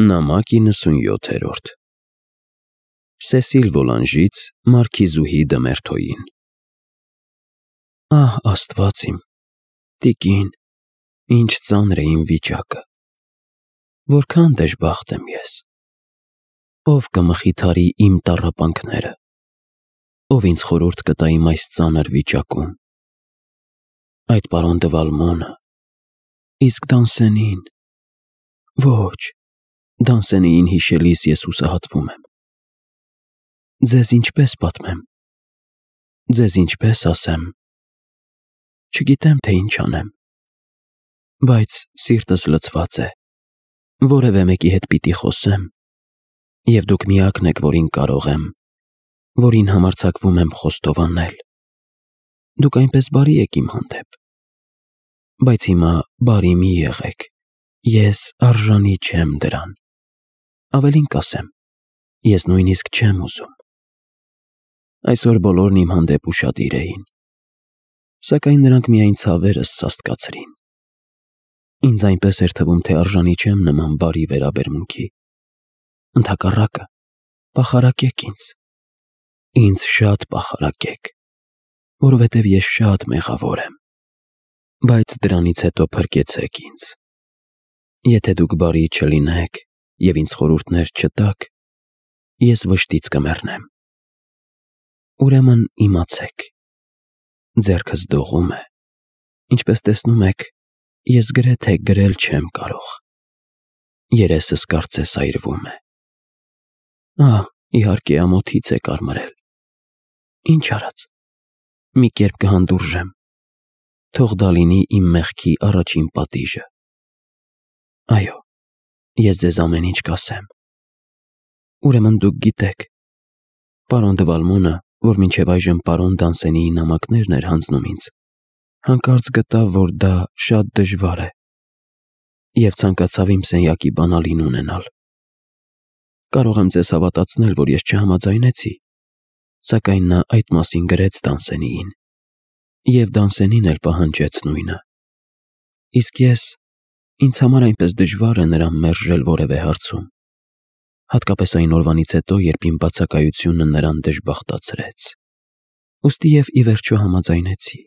Նամակ 97-րդ Սեսիլ Վոլանժից Մարքիզուհի Դմերթոյին Ահ, Աստված իմ, տիկին, ինչ ծանր է իմ վիճակը, որքան դժբախտ եմ ես, ով կմխիթարի իմ տառապանքները, ով ինձ խորհուրդ կտա իմ այս ծանր վիճակում, այդ պարոն Դվալմոնը, իսկ Դանսենին, ոչ, Դանսենիին հիշելիս ես հուսահատվում եմ, ձեզ ինչպես պատմեմ, ձեզ ինչպես ասեմ, չգիտեմ, թե ինչ անեմ, բայց սիրտս լցված է, որևէ մեկի հետ պիտի խոսեմ, և դուք միակն եք, որին կարող եմ, որին համարձակվում եմ խոստովանել, դուք այնպես բարի եք իմ հանդեպ, բայց հիմա բարի մի եղեք, ես արժանի չեմ դրան, ավելին կասեմ, ես նույնիսկ չեմ ուզում, այսօր բոլորն իմ հանդեպ ուշադիր էին, սակայն նրանք միայն ցավերս սաստկացրին, ինձ այնպես էր թվում, թե արժանի չեմ նման բարի վերաբերմունքի, ընդհակառակը, պախարակեք ինձ շատ պախարակեք, որովհետև ես շատ մեղավոր եմ, բայց դրանից հետո փրկեցեք ինձ, եթե դուք բարի չլինեք և ինձ խորհուրդներ չտաք, ես վշտից կմեռնեմ, ուրեմն իմացեք, ձեռքս դողում է, ինչպես տեսնում եք, ես գրեթե գրել չեմ կարող, երեսս կարծես այրվում է, ահ, իհարկե ամոթից է կարմրել, ինչ արած, մի կերպ կհանդուրժեմ, թող դա լինի իմ մեղքի առաջին պատիժը, այո, ես ձեզ ամեն ինչ կասեմ, ուրեմն դուք գիտեք, պարոն Դվալմոնը, որ մինչև այժմ պարոն Դանսենիի նամակներն էր հանձնում ինձ, հանկարծ գտավ, որ դա շատ դժվար է, և ցանկացավ իմ սենյակի բանալին ունենալ, կարող եմ ձեզ հավատացնել, որ ես չհամաձայնեցի, սակայն նա այդ մասին գրեց Դանսենիին, և Դանսենին էլ պահանջեց նույնը, իսկ ես, ինձ համար այնպես դժվար է նրան մերժել որևէ հարցում, հատկապես այն օրվանից հետո, երբ իմ բացակայությունը նրան դժբախտացրեց, ուստի և ի վերջո համաձայնեցի,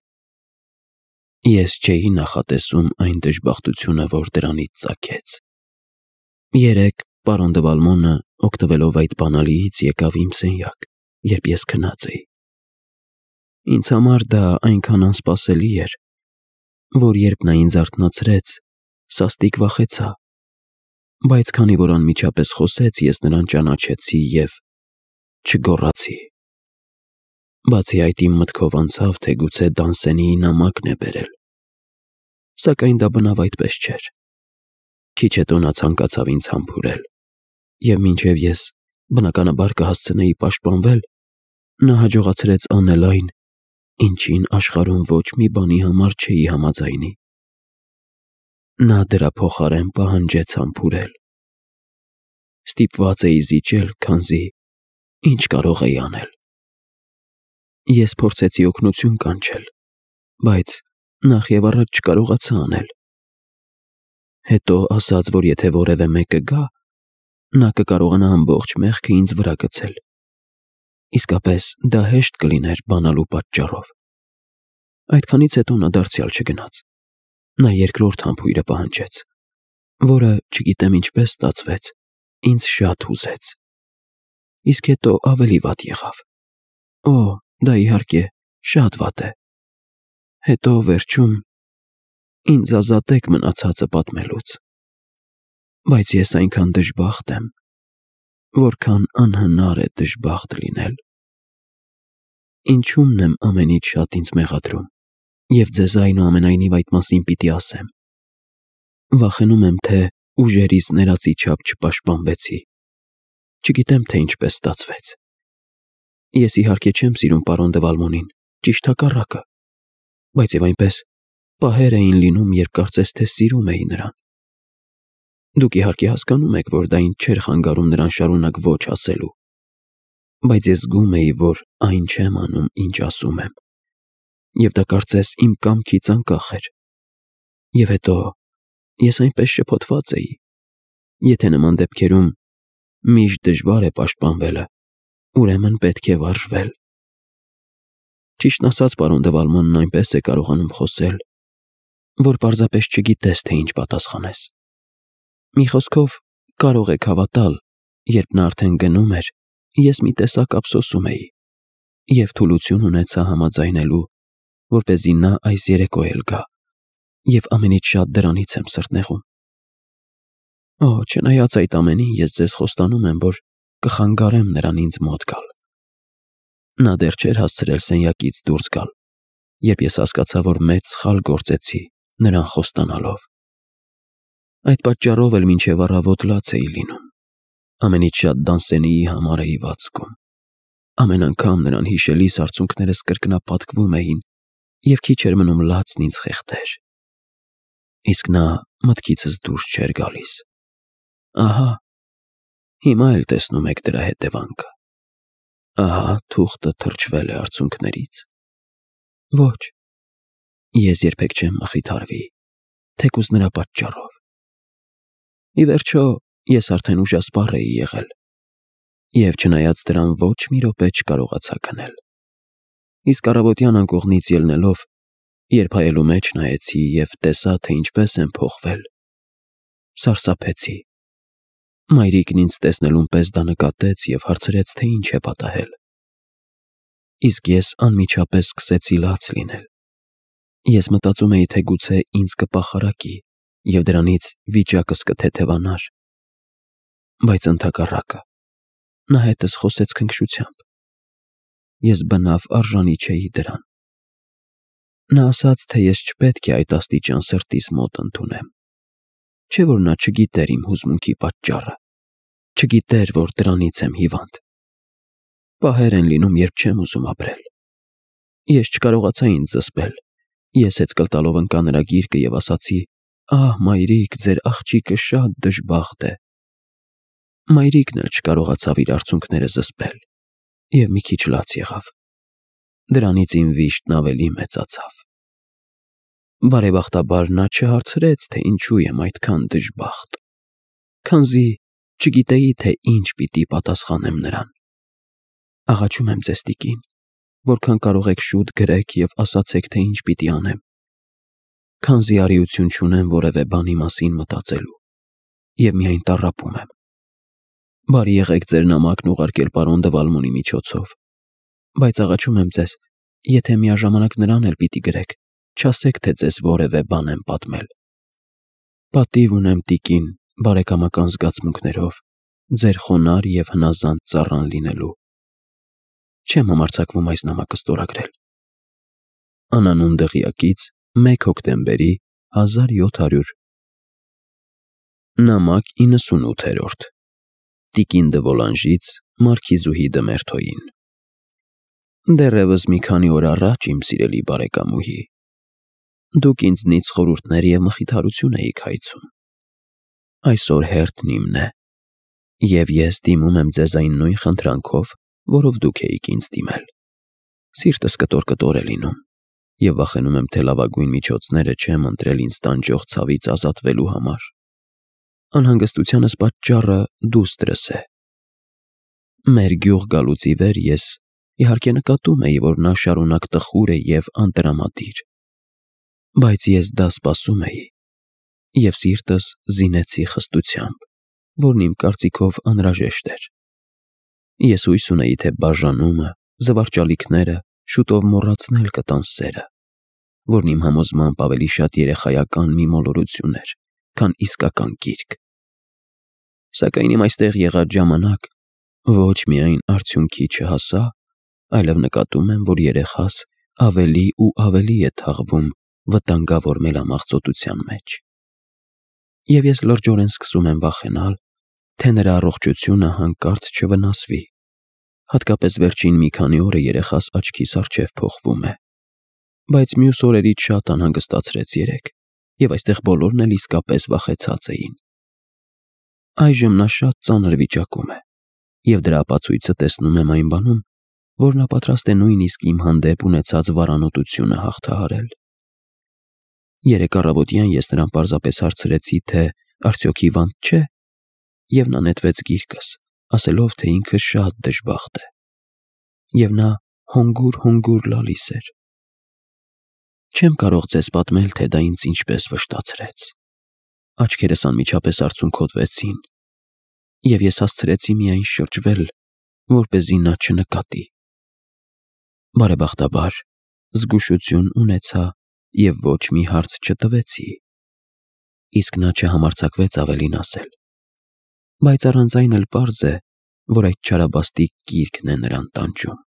ես չէի նախատեսում այն դժբախտությունը, որ դրանից ծագեց, երեկ պարոն Դվալմոնը, օգտվելով այդ բանալիից, եկավ իմ սենյակ, երբ ես քնած էի, ինձ համար դա այնքան անսպասելի էր, որ երբ նա ինձ արթնացրեց, սաստիկ վախեցա, բայց քանի որ անմիջապես խոսեց, ես նրան ճանաչեցի և չգոռացի, բացի այդ իմ մտքով անցավ, թե գուցե Դանսենիի նամակն է բերել, սակայն դա բնավ այդպես չէր, քիչ հետո նա ցանկացավ ինձ համբուրել, և մինչև ես բնականաբար կհասցնեի պաշտպանվել, նա հաջողացրեց անել այն, ինչին աշխարհում ոչ մի բանի համար չէի համաձայնի, նա դրա փոխարեն պահանջեց համբուրել, ստիպված էի զիջել, քանզի ինչ կարող էի անել, ես փորձեցի օգնություն կանչել, բայց նախ և առաջ չկարողացա անել, հետո ասաց, որ եթե որևէ մեկը գա, նա կկարողանա ամբողջ մեղքը ինձ վրա գցել, իսկապես դա հեշտ կլիներ բանալու պատճառով, այդքանից հետո նա դարձյալ չգնաց, նա երկրորդ համբույրը պահանջեց, որը, չգիտեմ ինչպես ստացվեց, ինձ շատ հուզեց, իսկ հետո ավելի վատ եղավ, օ, դա իհարկե շատ վատ է, հետո վերջում ինձ ազատեք մնացածը պատմելուց, բայց ես այնքան դժբախտ եմ, որքան անհնար է դժբախտ լինել, ինչումն եմ ամենից շատ ինձ մեղադրում, և ձեզ այնուամենայնիվ այդ մասին պիտի ասեմ, վախենում եմ, թե ուժերից ներածի չափ չպաշտպանվեցի, չգիտեմ, թե ինչպես ստացվեց, ես իհարկե չեմ սիրում պարոն Դվալմոնին, ճիշտ հակառակը, բայց և այնպես պահեր էին լինում, երբ կարծես թե սիրում էի նրան, դուք իհարկե հասկանում եք, որ դա ինձ չէր խանգարում նրան շարունակ ոչ ասելու, բայց ես զգում էի, որ այն չեմ անում, ինչ ասում եմ, և դա կարծես իմ կամքից անկախ էր, և հետո ես այնպես շփոթված էի, Եթե նման դեպքերում միշտ դժվար է պաշտպանվելը, ուրեմն պետք է վարժվել։ Ճիշտն ասած, պարոն դե Վալմանն այնպես է կարողանում խոսել, որ պարզապես չգիտես, թե ինչ պատասխանես։ Մի խոսքով, կարող եք հավատալ, երբ նա արդեն գնում էր, ես մի տեսակ ափսոսում էի և թուլություն ունեցա համաձայնելու, որպեսզի նա այս երեկո էլ գա, և ամենից շատ դրանից եմ սրտնեղում։ Օ, չնայած այդ ամենին, ես ձեզ խոստանում եմ, որ կխանգարեմ նրան ինձ մոտ գալ։ Նա դեռ չէր հասցրել սենյակից դուրս գալ, երբ ես հասկացա, որ մեծ սխալ գործեցի նրան խոստանալով։ Այդ պատճառով էլ մինչև առավոտ լաց էի լինում։ Ամենից շատ Դանսենիի համար էի վացքում։ Ամեն անգամ նրան հիշելիս արցունքներս կրկնապատկվում էին, և քիչ էր մնում լացն ինձ խեղդեր։ Իսկ նա մտքիցս դուրս չէր գալիս։ Ահա, հիմա էլ տեսնում եք դրա հետևանքը։ Ահա թուղթը թրջվել է արցունքներից։ Ոչ, ես երբեք չեմ մխիթարվի, թեկուզ նրա պատճառով։ Ի վերջո, ես արդեն ուժասպառ էի եղել, և չնայած դրան ոչ մի րոպե չկարողացա քնել։ Իսկ առավոտյան անկողնից ելնելով, երբ հայելու մեջ նայեցի և տեսա, թե ինչպես եմ փոխվել, սարսափեցի։ Մայրիկն ինձ տեսնելուն պես դա նկատեց և հարցրեց, թե ինչ է պատահել։ Իսկ ես անմիջապես սկսեցի լաց լինել։ Ես մտածում էի, թե գուցե ինձ կպախարակի և դրանից վիճակս կթեթևանար։ Բայց ընդհակառակը, նա հետս խոսեց քնքշությամբ։ Ես բնավ արժանի չէի դրան։ Նա ասաց, թե ես չպետք է այդ աստիճան սրտիս մոտ ընդունեմ։ Չէ՞ որ նա չգիտեր իմ հուզմունքի պատճառը, չգիտեր, որ դրանից եմ հիվանդ։ Պահեր են լինում, երբ չեմ ուզում ապրել։ Ես չկարողացա ինձ զսպել։ Ես հեծկլ տալով ընկա նրա գիրկը և ասացի. «Ահ, մայրիկ, ձեր աղջիկը շատ դժբախտ է»։ Մայրիկն էլ չկարողացավ իր արցունքները զսպել և մի քիչ լաց եղավ։ Դրանից իմ վիշտն ավելի մեծացավ։ Բարեբախտաբար նա չհարցրեց, թե ինչու եմ այդքան դժբախտ, քանզի չգիտեի, թե ինչ պիտի պատասխանեմ նրան։ Աղաչում եմ ձեզ, տիկին, որքան կարող եք շուտ գրեք և ասացեք, թե ինչ պիտի անեմ, քանզի արիություն չունեմ որևէ բանի մասին մտածելու և միայն տառապում եմ։ Բարի եղեք ձեր նամակն ուղարկել պարոն դե Վալմոնի միջոցով, բայց աղաչում եմ ձեզ, եթե միաժամանակ նրան էլ պիտի գրեք, չասեք, թե ձեզ որևէ բան եմ պատմել։ Պատիվ ունեմ, տիկին, բարեկամական զգացմունքներով, ձեր խոնարհ և հնազանդ ծառան լինելու։ Չեմ համարձակվում այս նամակը ստորագրել։ Անանուն դղյակից 1 հոկտեմբերի 1700 Նամակ 98-րդ Տիկին դը Վոլանժից Մարքիզուհի դը Մերթոյին։ Դեռևս մի քանի օր առաջ, իմ սիրելի բարեկամուհի, դուք ինձնից խորհուրդներ և մխիթարություն էիք հայցում։ Այսօր հերթն իմն է, և ես դիմում եմ ձեզ այն նույն խնդրանքով, որով դուք էիք ինձ դիմել։ Սիրտս կտոր է լինում, և վախենում եմ, թե լավագույն միջոցները չեմ ընտրել ինձ տանջող ցավից ազատվելու համար։ Անհանգստությանս պատճառը դուստրս է։ Մեր գյուղ գալուց ի վեր ես իհարկե նկատում էի, որ նա շարունակ տխուր է և անտրամադիր, բայց ես դա սպասում էի և սիրտս զինեցի խստությամբ, որն իմ կարծիքով անհրաժեշտ էր։ Ես հույս ունեի, թե բաժանումը, զվարճալիքները շուտով մոռացնել կտան սերը, որն իմ համոզմամբ ավելի շատ երեխայական մի մոլորություն էր, քան իսկական կիրք։ Սակայն իմ այստեղ եղած ժամանակ ոչ միայն արդյունքի չհասա, այլև նկատում եմ, որ երեխաս ավելի ու ավելի է թաղվում վտանգավոր մելամաղձոտության մեջ։ Եվ ես լրջորեն սկսում եմ վախենալ, թե նրա առողջությունը հանկարծ չվնասվի, հատկապես վերջին մի քանի օրը երեխաս աչքիս առջև փոխվում է, բայց մյուս օրերից շատ անհանգստացրեց երեկ, և այստեղ բոլորն էլ իսկապես վախեցած էին։ Այժմ նա շատ ծանր վիճակում է, և դրա ապացույցը տեսնում եմ այն բանում, որ նա պատրաստ է նույնիսկ իմ հանդեպ ունեցած վարանոտությունը հաղթահարել։ Երեկ առավոտյան ես նրան պարզապես հարցրեցի, թե արդյոք հիվանդ չէ, Եվ նա նետվեց գիրկս, ասելով, թե ինքը շատ դժբախտ է։ Եվ նա հոնգուր լալիս էր։ Չեմ կարող ձեզ պատմել, թե դա ինձ ինչպես վշտացրեց։ Աչքերս անմիջապես արցունքոտվեցին, և ես հասցրեցի միայն շրջվել, որպեսզի նա չնկատի։ Բարեբախտաբար, զգուշություն ունեցա և ոչ մի հարց չտվեցի, իսկ նա չհամարձակվեց ավելին ասել։ Բայց առանց այն էլ պարզ է, որ այդ չարաբաստիկ գիրկն է նրան տանջում։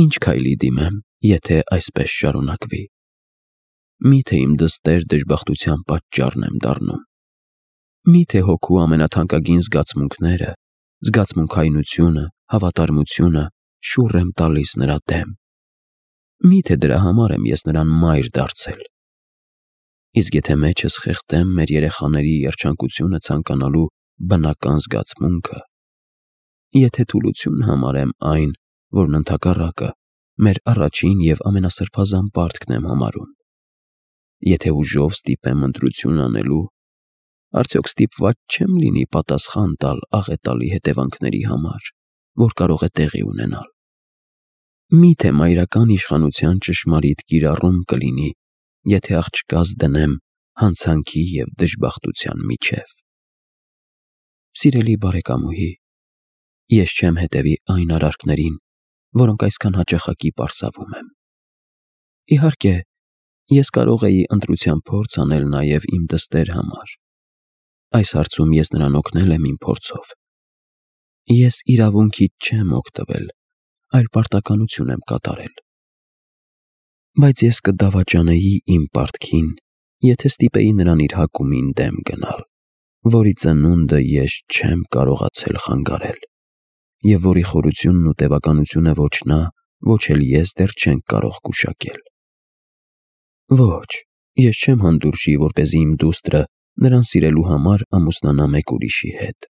Ինչ քայլի դիմեմ, եթե այսպես շարունակվի։ Միթե իմ դստեր դժբախտության պատճառն եմ դառնում։ Միթե հոգու ամենաթանկագին զգացմունքները, զգացմունքայնությունը, հավատարմությունը շուռ եմ տալիս նրա դեմ։ Միթե դրա համար եմ ես նրան մայր դարձել։ Իսկ եթե մեջս խեղդեմ մեր երեխաների երջանկությունը ցանկանալու բնական զգացմունքը, եթե թուլություն համարեմ այն, որն ընդհակառակը մեր առաջին և ամենասրբազան պարտքն եմ համարում, եթե ուժով ստիպեմ ընտրություն անելու, արդյոք ստիպված չեմ լինի պատասխան տալ աղետալի հետևանքների համար, որ կարող է տեղի ունենալ։ Միթե մայրական իշխանության ճշմարիտ կիրառում կլինի, եթե աղջկաս դնեմ հանցանքի և դժբախտության միջև։ Սիրելի բարեկամուհի, ես չեմ հետևի այն արարքներին, որոնք այսքան հաճախակի պարզավում եմ։ Իհարկե, ես կարող էի ընտրության փորձ անել նաև իմ դստեր համար։ Այս հարցում ես նրան օգնել եմ իմ փորձով։ Ես իրավունքից չեմ օգտվել, այլ պարտականություն եմ կատարել։ Բայց ես կդավաճանեի իմ պարտքին, եթե ստիպեի նրան իր հակումին դեմ գնալ, որի ծնունդը ես չեմ կարողացել խանգարել, և որի խորությունն ու տևականությունը ոչ նա, ոչ էլ ես դեռ չենք կարող գուշակել։ Ոչ, ես չեմ հանդուրժի, որպեսզի իմ դուստրը նրան սիրելու համար ամուսնանա մեկ ուրիշի հետ։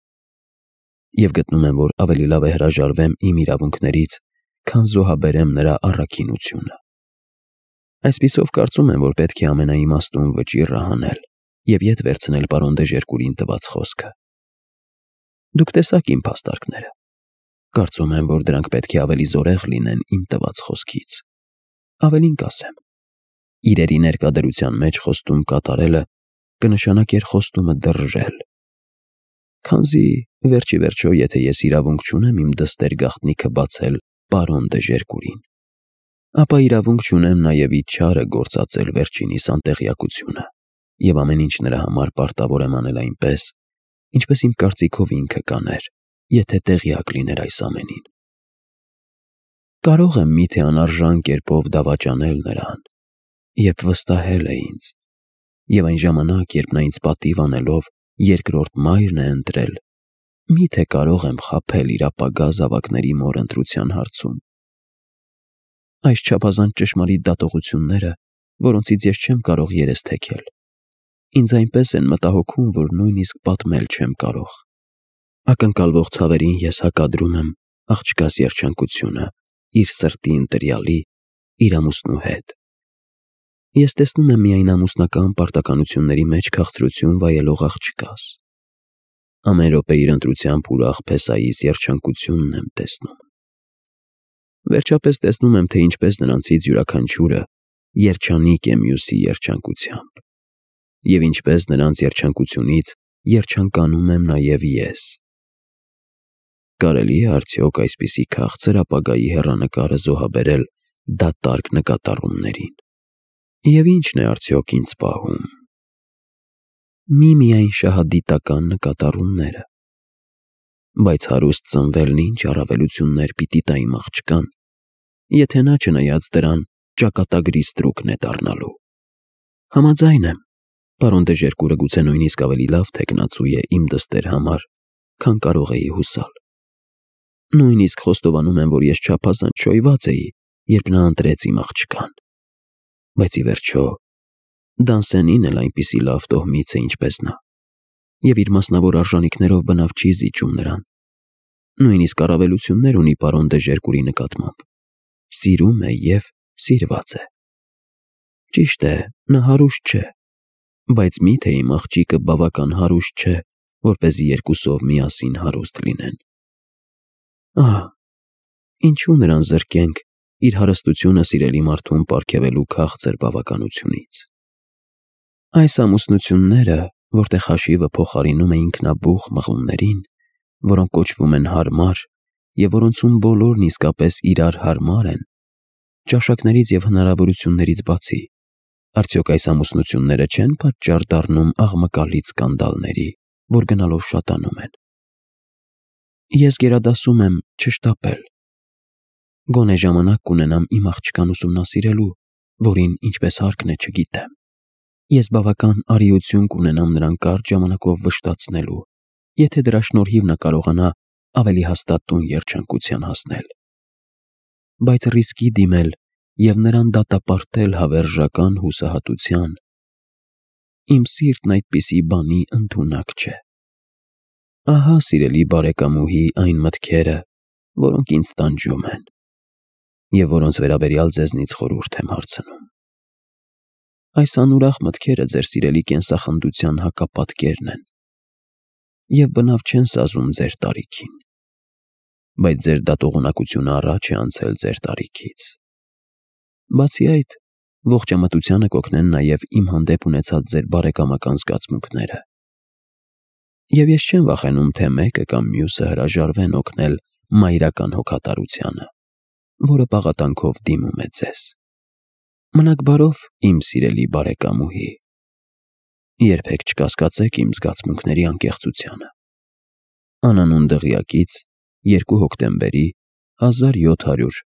Եվ գտնում եմ, որ ավելի լավ է հրաժարվեմ իմ իրավունքներից, քան զոհաբերեմ նրա առաքինությունը։ Այսպիսով կարծում եմ, որ պետք է ամենաիմաստուն վճիռը հանել և ետ վերցնել պարոն Դեժերկուրին տված խոսքը։ Դուք տեսաք իմ փաստարկները։ Կարծում եմ, որ դրանք պետք է ավելի զորեղ լինեն իմ տված խոսքից։ Ավելին կասեմ, իրերի ներկա մեջ խոստում կատարելը կնշանակեր խոստումը դրժել։ Քանզի վերջիվերջո, եթե ես իրավունք չունեմ իմ դստեր գաղտնիքը բացել պարոն Դեժերկուրին, ապա իրավունք չունեմ նաև իր չարը գործածել վերջինիս անտեղյակությունը, և ամեն ինչ նրա համար պարտավոր եմ անել այնպես, ինչպես իմ կարծիքով ինքը կաներ, եթե տեղյակ լիներ այս ամենին։ Կարող եմ միթե անարժան կերպով դավաճանել նրան, երբ վստահել է ինձ, և այն ժամանակ, երբ նա ինձ պատիվ անելով երկրորդ մայրն է ընտրել, միթե կարող եմ խաբել իր ապագա զավակների մոր ընտրության հարցում։ Այս չափազանց ճշմարիտ դատողությունները, որոնցից ես չեմ կարող երես թեքել, ինձ այնպես են մտահոգում, որ նույնիսկ պատմել չեմ կարող։ Ակնկալվող ցավերին ես հակադրում եմ աղջկաս երջանկությունը իր սրտի ընտրյալի, իր ամուսնու հետ։ Ես տեսնում եմ միայն ամուսնական պարտականությունների մեջ քաղցրություն վայելող աղջկաս։ Ամեն րոպե իր ընտրությամբ ուրախ փեսայիս երջանկությունն եմ տեսնում։ Վերջապես տեսնում եմ, թե ինչպես նրանցից յուրաքանչյուրը երջանիկ է մյուսի երջանկությամբ, և ինչպես նրանց երջանկությունից երջանկանում եմ նաև ես։ Կարելի է արդյոք այսպիսի քաղցր ապագայի հեռանկարը զոհաբերել դատարկ նկատառումներին։ Եվ ի՞նչն է արդյոք ինձ պահում։ Միայն շահադիտական նկատառումները։ Բայց հարուստ ծնվելն ինչ առավելություններ պիտի տա իմ աղջկան, եթե նա չնայած դրան ճակատագրի ստրուկն է դառնալու։ Համաձայն եմ, պարոն Դեժերկուրը գուցե նույնիսկ ավելի լավ թեկնածու է իմ դստեր համար, քան կարող էի հուսալ։ Նույնիսկ խոստովանում եմ, որ ես չափազանց շոյված էի, երբ նա ընտրեց իմ աղջկան։ Բայց ի վերջո Դանսենին էլ այնպիսի լավ տոհմից է, ինչպես նա, և իր մասնավոր արժանիքներով բնավ չի զիջում նրան։ Նույնիսկ առավելություններ ունի պարոն Դեժերկուրի նկատմամբ։ Սիրում է և սիրված է։ Ճիշտ է, նա հարուստ չէ, բայց միթե իմ աղջիկը բավական հարուստ չէ, որպեսզի երկուսով միասին հարուստ լինեն։ Ահա, ինչու նրան զրկենք իր հարստությունը սիրելի մարդուն պարգևելու քաղցր բավականությունից։ Այս ամուսնությունները, որտեղ հաշիվը փոխարինում է ինքնաբուխ մղումներին, որոնք կոչվում են հարմար և որոնցում բոլորն իսկապես իրար հարմար են, ճաշակներից և հնարավորություններից բացի, արդյոք այս ամուսնությունները չեն պատճառ դառնում աղմկալից սկանդալների, որ գնալով շատանում են։ Ես գերադասում եմ չշտապել։ Գոնե ժամանակ կունենամ իմ աղջկան ուսումնասիրելու, որին ինչպես հարկն է չգիտեմ։ Ես բավական արիություն կունենամ նրան կարճ ժամանակով վշտացնելու, եթե դրա շնորհիվ նա կարողանա ավելի հաստատ տուն երջանկության հասնել։ Բայց ռիսկի դիմել և նրան դատապարտել հավերժական հուսահատության, իմ սիրտն այդպիսի բանի ընդունակ չէ։ Ահա, սիրելի բարեկամուհի, այն մտքերը, որոնք ինձ տանջում են, և որոնց վերաբերյալ ձեզնից խորհուրդ եմ հարցնում։ Այս անուրախ մտքերը ձեր սիրելի կենսախնդության հակապատկերն են և բնավ չեն սազում ձեր տարիքին, բայց ձեր դատողունակությունը առաջ է անցել ձեր տարիքից։ Բացի այդ, ողջամտությանը կօգնեն նաև իմ հանդեպ ունեցած ձեր բարեկամական զգացմունքները, և ես չեմ վախենում, թե մեկը կամ մյուսը հրաժարվեն օգնել մայրական հոգատարությանը, որը պաղատանքով դիմում է ձեզ։ Մնաք բարով, իմ սիրելի բարեկամուհի, երբեք չկասկածեք իմ զգացմունքների անկեղծությանը։ Անանուն դղյակից 2 հոկտեմբերի 1700